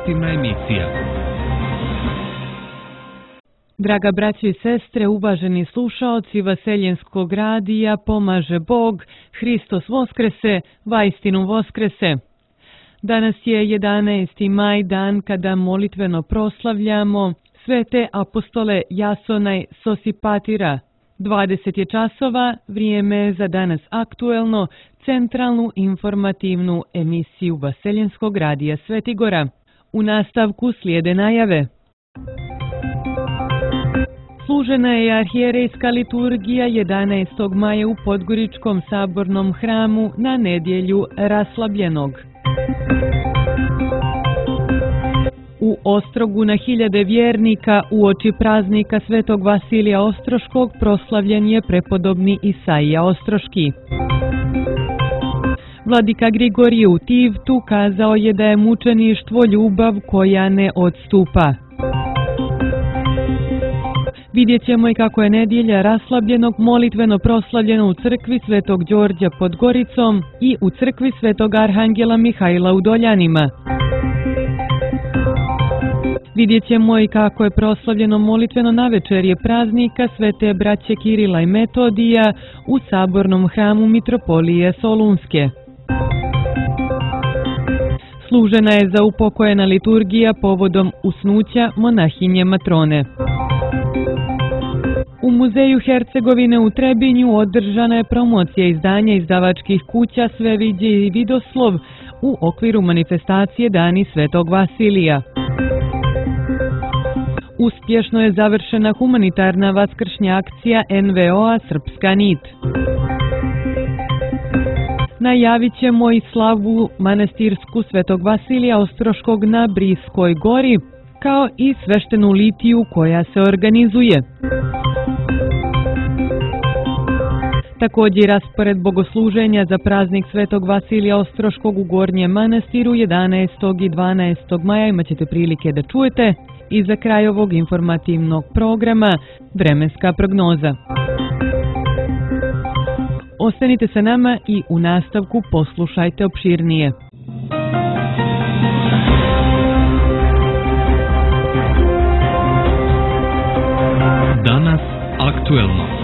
informativna emisija. Draga braćo i sestre, uvaženi slušaoci Vaseljenskog radija, pomaže Bog, Hristos Voskrese, vaistinu Voskrese. Danas je 11. maj, dan kada molitveno proslavljamo svete apostole Jasona Sosipatira. 20 je časova, vrijeme za danas aktuelno, centralnu informativnu emisiju Vaseljenskog radija Svetigora. U nastavku slijede najave. Služena je arhijerejska liturgija 11. maja u Podgoričkom sabornom hramu na nedjelju Raslabljenog. U Ostrogu na hiljade vjernika uoči praznika Svetog Vasilija Ostroškog proslavljen je prepodobni Isaija Ostroški. Vladika Grigorije u Tivtu kazao je da je mučeništvo ljubav koja ne odstupa. Vidjet ćemo i kako je nedjelja Raslabljenog molitveno proslavljena u crkvi Svetog Đorđa pod Goricom i u crkvi Svetog Arhangela Mihajla u Doljanima. Vidjet ćemo i kako je proslavljeno molitveno navečerje praznika Svete braće Kirila i Metodija u sabornom hramu Mitropolije Solunske. Služena je zaupokojena liturgija povodom usnuća monahinje Matrone. U Muzeju Hercegovine u Trebinju održana je promocija izdanja izdavačkih kuća Sveviđe i Vidoslov u okviru manifestacije Dani Svetog Vasilija. Uspješno je završena humanitarna vaskršnja akcija NVO-a Srpska nit. Najavit ćemo i slavu manastirsku Svetog Vasilija Ostroškog na Briskoj gori, kao i sveštenu litiju koja se organizuje. Također raspored bogosluženja za praznik Svetog Vasilija Ostroškog u Gornjem manastiru 11. i 12. maja imat ćete prilike da čujete i za kraj ovog informativnog programa vremenska prognoza. Ostanite sa nama i u nastavku poslušajte opširnije. Danas aktuelno.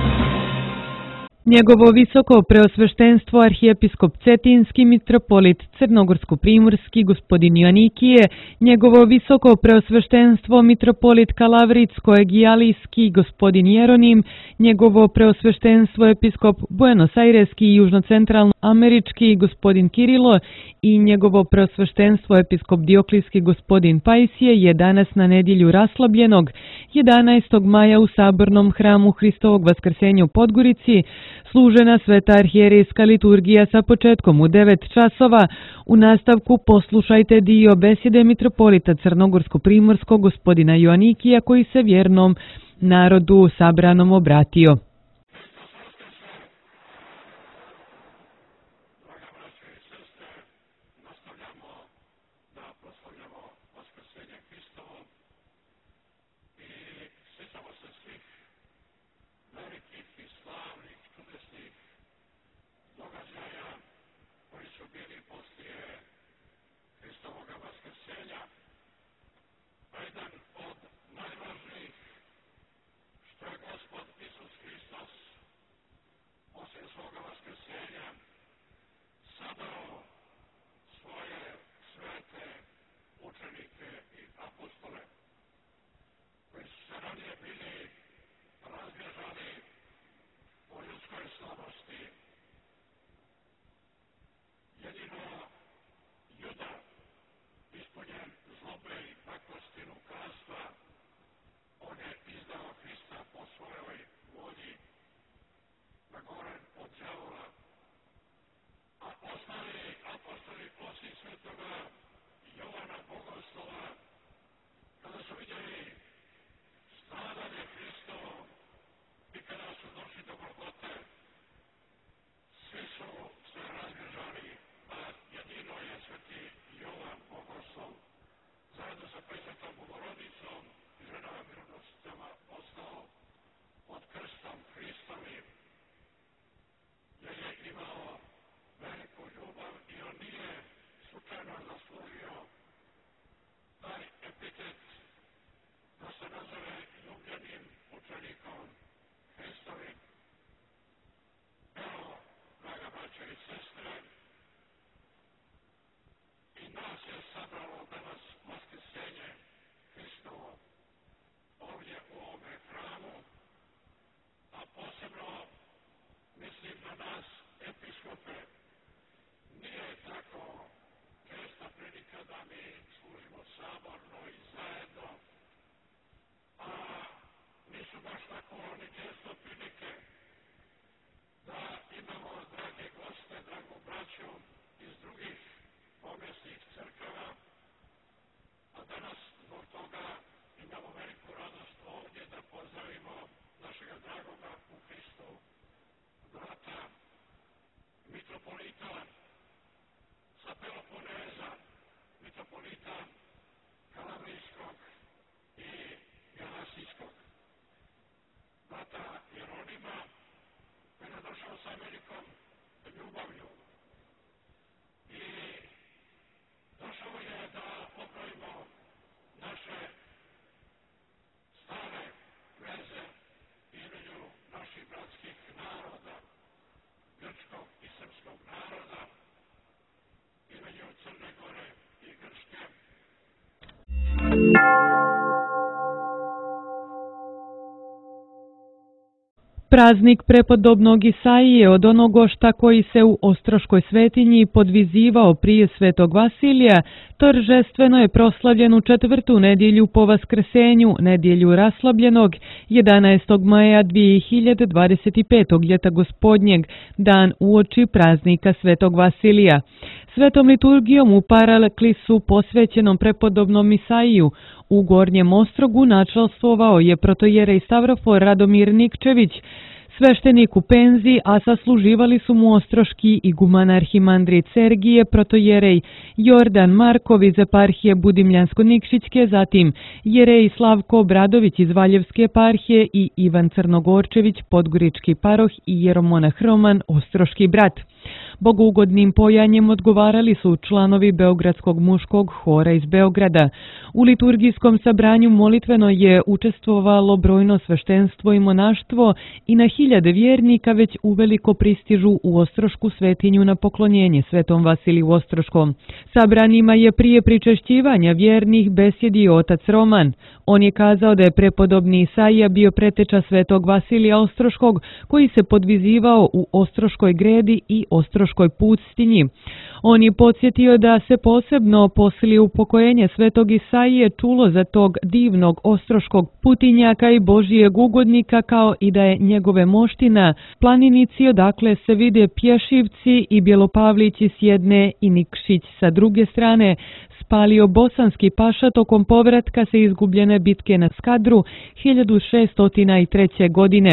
Njegovo visoko preosveštenstvo arhijepiskop Cetinski mitropolit Crnogorsko-primorski gospodin Joanikije, njegovo visoko preosveštenstvo mitropolit Kalavritsko-Egijalijski gospodin Jeronim, njegovo preosveštenstvo episkop Buenos Aireski i južnocentralno-američki gospodin Kirilo i njegovo preosveštenstvo episkop Dioklijski gospodin Pajsije je danas na nedjelju Raslabljenog 11. maja u sabornom hramu Hristovog Vaskrsenja u Podgorici služena sveta arhijerejska liturgija sa početkom u 9 časova. U nastavku poslušajte dio besjede mitropolita Crnogorsko-primorskog gospodina Joanikija koji se vjernom narodu sabranom obratio. Jedan od najvažnijih što je Gospod Isus Hrist Praznik prepodobnog Isaije od onogošta koji se u Ostroškoj svetinji podvizivao prije svetog Vasilija, toržestveno je proslavljen u četvrtu nedjelju po Vaskrsenju, nedjelju raslabljenog, 11. maja 2025. ljeta gospodnjeg, dan uoči praznika svetog Vasilija. Svetom liturgijom u paraklisu posvećenom prepodobnom Isaiju u Gornjem Ostrogu načelstvovao je protojerej Stavrofor Radomir Nikčević, sveštenik u penziji, a sasluživali su mu ostroški iguman arhimandrit Sergije, protojerej Jordan Markov iz eparhije Budimljansko-Nikšićke, zatim jerej Slavko Obradović iz Valjevske eparhije i Ivan Crnogorčević, podgorički paroh i jeromonah Roman, ostroški brat. Bogougodnim pojanjem odgovarali su članovi Beogradskog muškog hora iz Beograda. U liturgijskom sabranju molitveno je učestvovalo brojno sveštenstvo i monaštvo i na hiljade vjernika već uveliko pristižu u Ostrošku svetinju na poklonjenje svetom Vasiliju Ostroškom. Sabranima je prije pričešćivanja vjernih besjedio otac Roman. On je kazao da je prepodobni Isaija bio preteča svetog Vasilija Ostroškog, koji se podvizivao u Ostroškoj gredi i Ostroškoj pustinji. On je podsjetio da se posebno poslije upokojenje svetog Isaije čulo za tog divnog ostroškog putinjaka i božijeg ugodnika, kao i da je njegove moština planinici odakle se vide Pješivci i Bjelopavlići s jedne i Nikšić sa druge strane, spalio bosanski paša tokom povratka se izgubljene bitke na Skadru 1603. godine.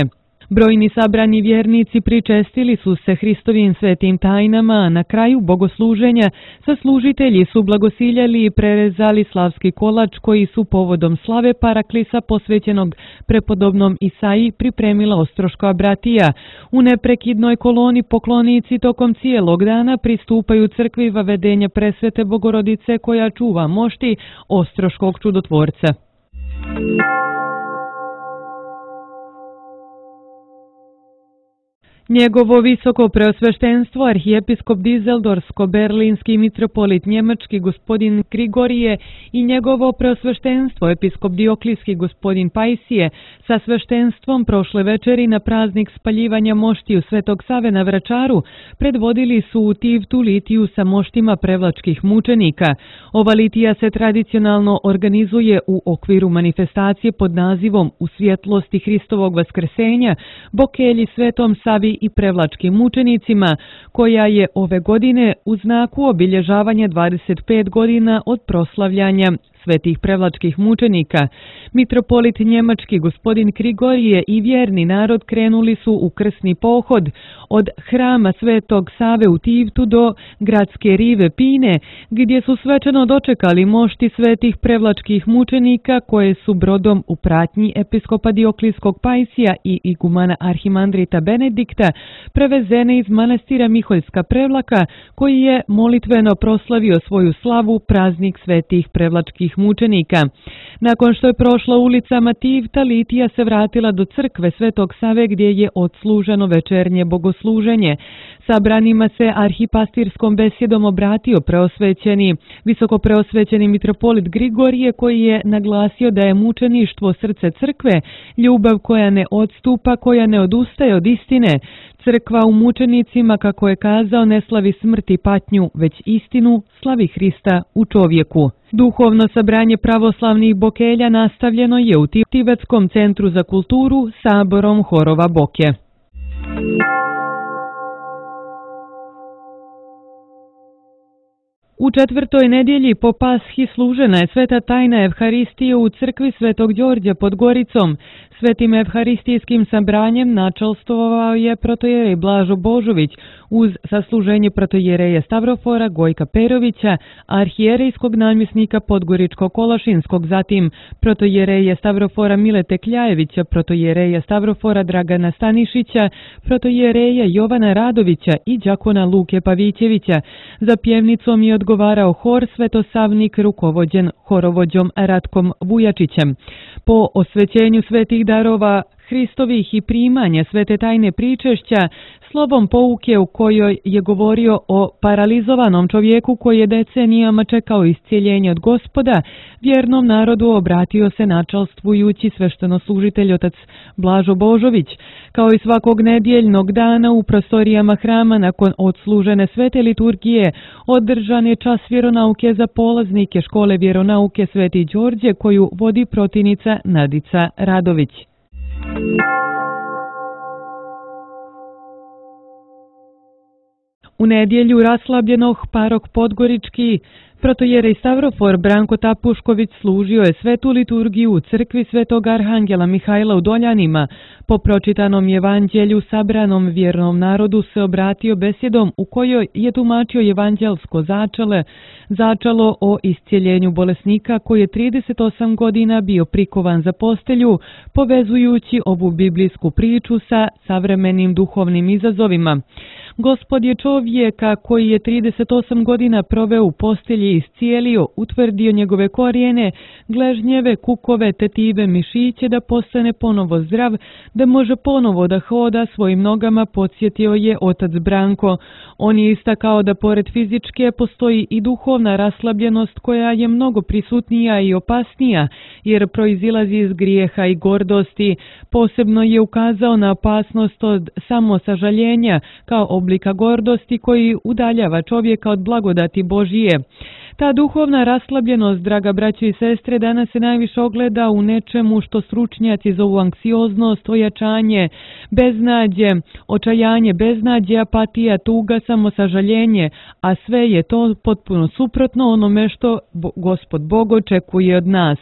Brojni sabrani vjernici pričestili su se Hristovim svetim tajnama, a na kraju bogosluženja saslužitelji su blagosiljali i prerezali slavski kolač koji su povodom slave paraklisa posvećenog prepodobnom Isaiji pripremila Ostroška bratija. U neprekidnoj koloni poklonici tokom cijelog dana pristupaju crkvi vavedenja presvete Bogorodice koja čuva mošti Ostroškog čudotvorca. Njegovo visoko preosveštenstvo arhijepiskop Dizeldorsko-berlinski mitropolit njemački gospodin Grigorije i njegovo preosveštenstvo episkop Dioklijski gospodin Pajsije sa sveštenstvom prošle večeri na praznik spaljivanja moštiju Svetog Save na Vračaru predvodili su u Tivtu litiju sa moštima prevlačkih mučenika. Ova litija se tradicionalno organizuje u okviru manifestacije pod nazivom U svjetlosti Hristovog vaskrsenja, Bokelji Svetom Savi i prevlačkim mučenicima, koja je ove godine u znaku obilježavanja 25 godina od proslavljanja svetih prevlačkih mučenika. Mitropolit njemački gospodin Grigorije i vjerni narod krenuli su u krsni pohod od hrama Svetog Save u Tivtu do gradske rive Pine, gdje su svečano dočekali mošti svetih prevlačkih mučenika koje su brodom u pratnji episkopa Dioklijskog Pajsija i igumana arhimandrita Benedikta prevezene iz manastira Miholjska Prevlaka, koji je molitveno proslavio svoju slavu praznik svetih prevlačkih mučenika. Nakon što je prošla ulicama Tivta, litija se vratila do crkve Svetog Save gdje je odsluženo večernje bogosluženje. Sabranima se arhipastirskom besjedom obratio visoko preosvećeni mitropolit Grigorije, koji je naglasio da je mučeništvo srce crkve, ljubav koja ne odstupa, koja ne odustaje od istine. Crkva u mučenicima, kako je kazao, ne slavi smrt i patnju, već istinu, slavi Hrista u čovjeku. Duhovno sabranje pravoslavnih bokelja nastavljeno je u Tibetskom centru za kulturu saborom horova Boke. U četvrtoj nedjelji po Pashi služena je sveta tajna Evharistije u crkvi Svetog Đorđa pod Goricom. Svetim evharistijskim sabranjem načelstvovao je protojerej Blažo Božović uz sasluženje protojereja Stavrofora Gojka Perovića, arhijerejskog namjesnika Podgoričko-Kolašinskog, zatim protojereja Stavrofora Milete Kljajevića, protojereja Stavrofora Dragana Stanišića, protojereja Jovana Radovića i đakona Luke Pavićevića. Za pjevnicom je odgovarao hor Svetosavnik rukovođen horovođom Ratkom Vujačićem. Po osvećenju svetih darova Hristovih i primanja svete tajne pričešća, slovom pouke u kojoj je govorio o paralizovanom čovjeku koji je decenijama čekao iscijeljenje od Gospoda, vjernom narodu obratio se načelstvujući sveštenoslužitelj otac Blažo Božović. Kao i svakog nedjeljnog dana u prostorijama hrama nakon odslužene svete liturgije održan je čas vjeronauke za polaznike škole vjeronauke Sveti Đorđe koju vodi protivnica Nadica Radović. U nedjelju raslabljenog parok Podgorički protojerej Stavrofor Branko Tapušković služio je svetu liturgiju u crkvi Svetog Arhangela Mihajla u Doljanima. Po pročitanom evanđelju sabranom vjernom narodu se obratio besjedom u kojoj je tumačio evanđelsko začalo o iscijeljenju bolesnika koji je 38 godina bio prikovan za postelju, povezujući ovu biblijsku priču sa savremenim duhovnim izazovima. Gospod je čovjeka koji je 38 godina proveo u postelji iscijelio, utvrdio njegove korijene, gležnjeve, kukove, tetive, mišiće da postane ponovo zdrav, da može ponovo da hoda svojim nogama, podsjetio je otac Branko. On je istakao da pored fizičke postoji i duhovna raslabljenost koja je mnogo prisutnija i opasnija jer proizilazi iz grijeha i gordosti. Posebno je ukazao na opasnost od samosažaljenja kao oblika gordosti koji udaljava čovjeka od blagodati Božije. Ta duhovna raslabljenost, draga braćo i sestre, danas se najviše ogleda u nečemu što stručnjaci zovu anksioznost, ojačanje, beznađe, očajanje, beznađe, apatija, tuga, samosažaljenje, a sve je to potpuno suprotno onome što Gospod Bog očekuje od nas.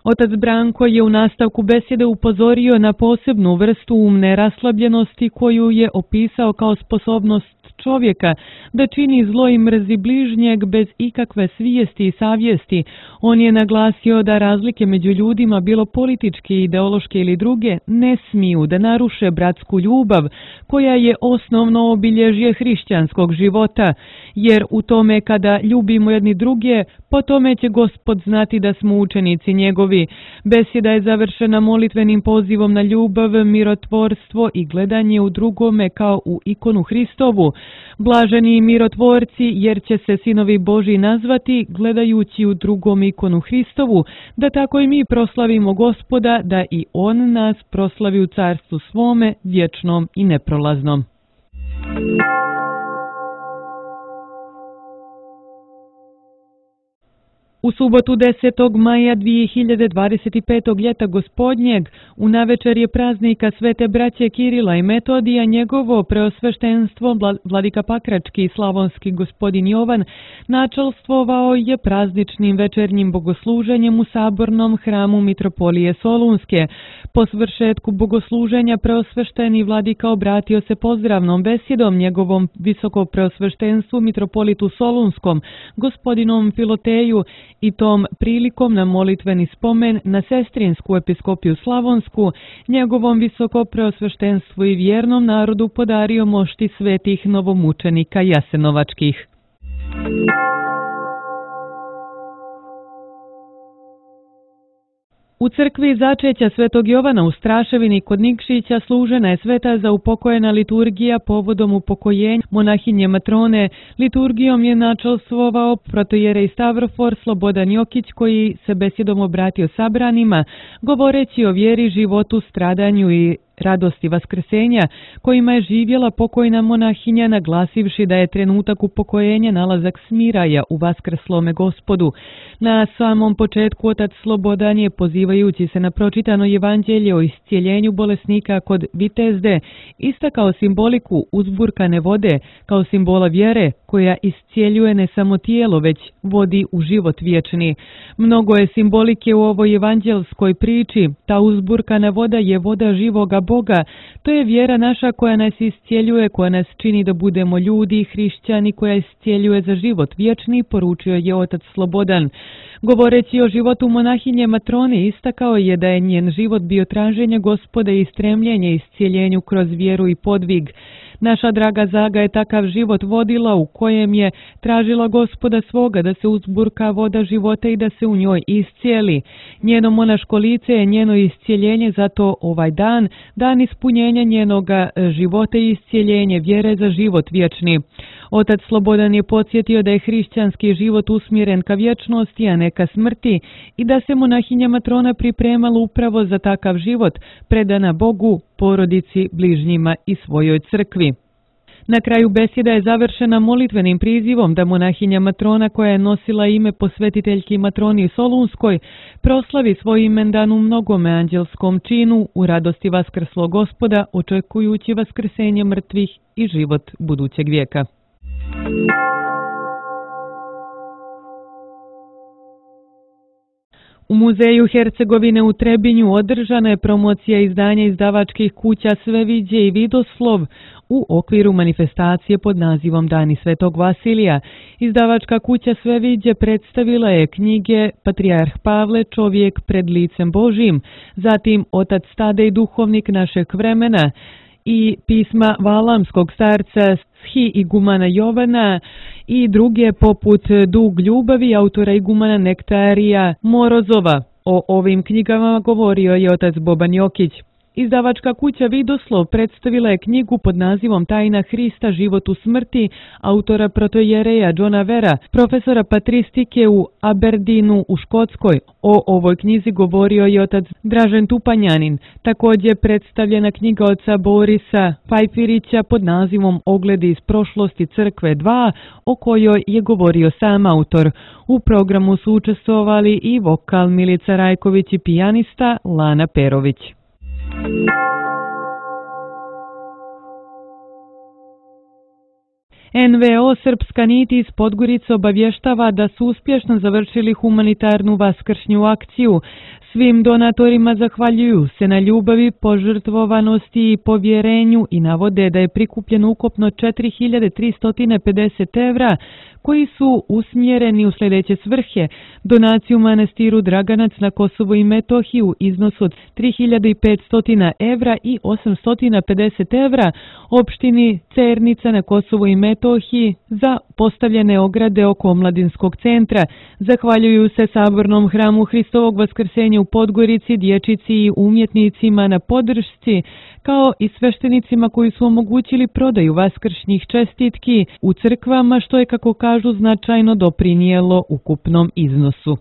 Otac Branko je u nastavku besjede upozorio na posebnu vrstu umne raslabljenosti koju je opisao kao sposobnost čovjeka da čini zlo i mrzi bližnjeg bez ikakve svijesti i savjesti. On je naglasio da razlike među ljudima, bilo političke, ideološke ili druge, ne smiju da naruše bratsku ljubav koja je osnovno obilježje hrišćanskog života, jer u tome kada ljubimo jedni druge, po tome će Gospod znati da smo učenici njegovi. Besjeda je završena molitvenim pozivom na ljubav, mirotvorstvo i gledanje u drugome kao u ikonu Hristovu. Blaženi mirotvorci, jer će se sinovi Božji nazvati gledajući u drugom ikonu Hristovu, da tako i mi proslavimo Gospoda, da i On nas proslavi u carstvu svome, vječnom i neprolaznom. U subotu 10. maja 2025. ljeta gospodnjeg, u navečerje praznika svete braće Kirila i Metodija, njegovo preosveštenstvo vladika Pakrački i slavonski gospodin Jovan načelstvovao je prazničnim večernjim bogosluženjem u sabornom hramu Mitropolije Solunske. Po svršetku bogosluženja preosvešteni vladika obratio se pozdravnom besjedom njegovom visoko preosveštenstvu Mitropolitu Solunskom, gospodinom Filoteju, i tom prilikom na molitveni spomen na sestrinsku episkopiju Slavonsku, njegovom visoko preosveštenstvu i vjernom narodu podario mošti svetih novomučenika jasenovačkih. U crkvi začeća Svetog Jovana u Straševini kod Nikšića služena je sveta za upokojena liturgija povodom upokojenja monahinje Matrone. Liturgijom je načelstvovao protojerej Stavrofor Slobodan Jokić, koji se besjedom obratio sabranima, govoreći o vjeri, životu, stradanju i radosti vaskrsenja kojima je živjela pokojna monahinja, naglasivši da je trenutak upokojenja nalazak smiraja u vaskrslome Gospodu. Na samom početku otac Slobodan je, pozivajući se na pročitano evanđelje o iscijeljenju bolesnika kod Vitezde, istakao simboliku uzburkane vode kao simbola vjere koja iscijeljuje ne samo tijelo, već vodi u život vječni. Mnogo je simbolike u ovoj evanđelskoj priči. Ta uzburkana voda je voda živoga Boga. To je vjera naša koja nas iscijeljuje, koja nas čini da budemo ljudi, hrišćani, koja iscijeljuje za život vječni, poručio je otac Slobodan. Govoreći o životu monahinje Matrone, istakao je da je njen život bio traženje Gospoda i stremljenje iscijeljenju kroz vjeru i podvig. Naša draga Zaga je takav život vodila u kojem je tražila Gospoda svoga da se uzburka voda života i da se u njoj iscijeli. Njeno monaško lice je njeno iscijeljenje, zato ovaj dan, dan ispunjenja njenoga života i iscijeljenje vjere za život vječni. Otac Slobodan je podsjetio da je hrišćanski život usmjeren ka vječnosti, a ne ka smrti, i da se monahinja Matrona pripremala upravo za takav život, predana Bogu, porodici, bližnjima i svojoj crkvi. Na kraju besjeda je završena molitvenim prizivom da monahinja Matrona, koja je nosila ime posvetiteljki Matroni Solunskoj, proslavi svoj imendan u mnogome anđelskom činu u radosti vaskrslog Gospoda, očekujući vaskrsenje mrtvih i život budućeg vijeka. U Muzeju Hercegovine u Trebinju održana je promocija izdanja izdavačkih kuća Sveviđe i Vidoslov u okviru manifestacije pod nazivom Dani Svetog Vasilija. Izdavačka kuća Sveviđe predstavila je knjige Patrijarh Pavle, čovjek pred licem Božjim, zatim Otac Tadej, duhovnik našeg vremena, i pisma Valamskog starca Shi igumana Jovana i druge poput Dug ljubavi autora igumana Nektarija Morozova. O ovim knjigama govorio je otac Boban Jokić. Izdavačka kuća Vidoslov predstavila je knjigu pod nazivom Tajna Hrista, život u smrti, autora protojereja Johna Vera, profesora patristike u Aberdeenu u Škotskoj. O ovoj knjizi govorio je otac Dražen Tupanjanin. Također predstavljena knjiga oca Borisa Fajfirića pod nazivom Ogledi iz prošlosti crkve 2, o kojoj je govorio sam autor. U programu su učestvovali i vokal Milica Rajković i pijanista Lana Perović. NVO Srpska nit iz Podgorice obavještava da su uspješno završili humanitarnu vaskršnju akciju. Svim donatorima zahvaljuju se na ljubavi, požrtvovanosti i povjerenju i navode da je prikupljeno ukupno 4350 evra koji su usmjereni u sljedeće svrhe: donaciju manastiru Draganac na Kosovu i Metohiji u iznosu od 3500 evra i 850 evra opštini Cernica na Kosovu i Metohiji za postavljene ograde oko omladinskog centra. Zahvaljuju se Sabornom hramu Hristovog vaskrsenja u Podgorici, dječici i umjetnicima na podršci, kao i sveštenicima koji su omogućili prodaju vaskršnjih čestitki u crkvama, što je, kako kažu, značajno doprinijelo ukupnom iznosu.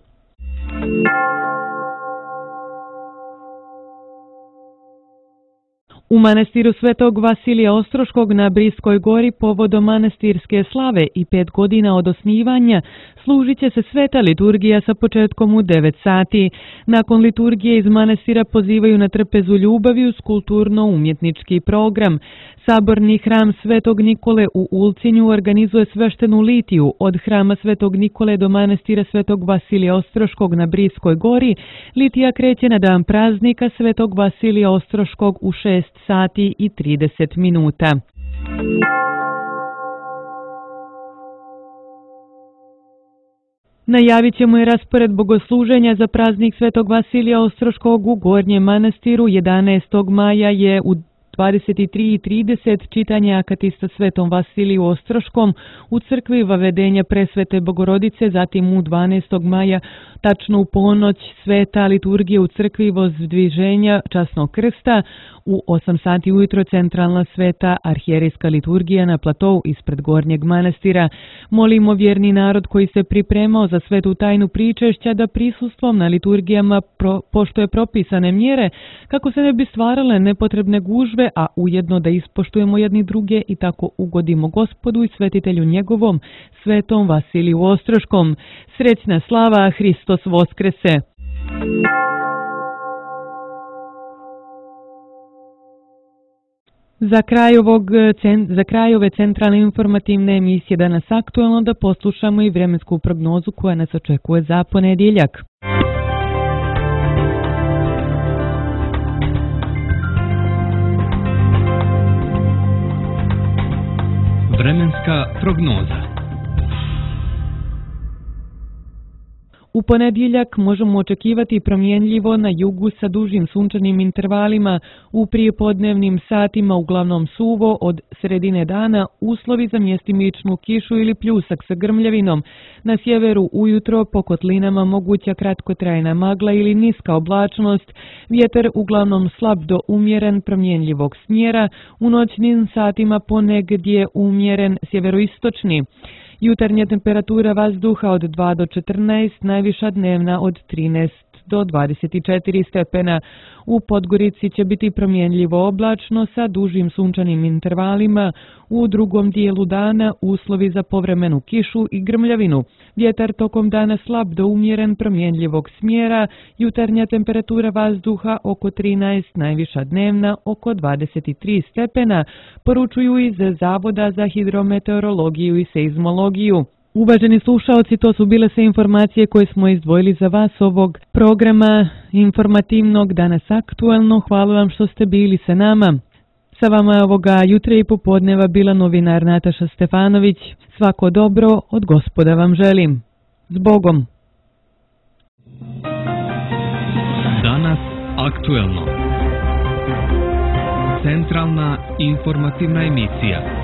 U manastiru Svetog Vasilija Ostroškog na Briskoj gori povodom manastirske slave i 5 godina od osnivanja služit će se sveta liturgija sa početkom u 9 sati. Nakon liturgije iz manastira pozivaju na trpezu ljubavi uz kulturno-umjetnički program. Saborni hram Svetog Nikole u Ulcinju organizuje sveštenu litiju od hrama Svetog Nikole do manastira Svetog Vasilija Ostroškog na Briskoj gori. Litija kreće na dan praznika Svetog Vasilija Ostroškog u 6 sati i 30 minuta. Najavit ćemo i raspored bogosluženja za praznik Svetog Vasilija Ostroškog u Gornjem manastiru. 11. maja je u 23:30 čitanje akatista Svetom Vasiliju Ostroškom u crkvi Vavedenja Presvete Bogorodice, zatim u 12. maja tačno u ponoć sveta liturgija u crkvi Vozdviženja Časnog krsta, u 8 sati ujutro centralna sveta arhijerejska liturgija na platou ispred Gornjeg manastira. Molimo vjerni narod koji se pripremao za svetu tajnu pričešća da prisustvom na liturgijama poštuje propisane mjere kako se ne bi stvarale nepotrebne gužve, a ujedno da ispoštujemo jedni druge i tako ugodimo Gospodu i svetitelju njegovom, Svetom Vasiliju Ostroškom. Srećna slava, Hristos Voskrese! Za kraj ove centralne informativne emisije Danas aktuelno da poslušamo i vremensku prognozu koja nas očekuje za ponedjeljak. Vremenska prognoza. U ponedjeljak možemo očekivati promjenljivo na jugu sa dužim sunčanim intervalima, u prijepodnevnim satima uglavnom suvo, od sredine dana uslovi za mjestimičnu kišu ili pljusak sa grmljavinom. Na sjeveru ujutro po kotlinama moguća kratkotrajna magla ili niska oblačnost, vjetar uglavnom slab do umjeren promjenljivog smjera, u noćnim satima ponegdje umjeren sjeveroistočni. Jutarnja temperatura vazduha od 2 do 14, najviša dnevna od 13 do 24 stepena. U Podgorici će biti promjenljivo oblačno sa dužim sunčanim intervalima. U drugom dijelu dana uslovi za povremenu kišu i grmljavinu. Vjetar tokom dana slab do umjeren promjenljivog smjera. Jutarnja temperatura vazduha oko 13, najviša dnevna oko 23 stepena, poručuju iz Zavoda za hidrometeorologiju i seizmologiju. Uvaženi slušaoci, to su bile sve informacije koje smo izdvojili za vas ovog programa informativnog Danas aktuelno. Hvala vam što ste bili sa nama. Sa vama je ovoga jutra i popodneva bila novinar Nataša Stefanović. Svako dobro od Gospoda vam želim. S Bogom! Danas aktuelno. Centralna informativna emisija.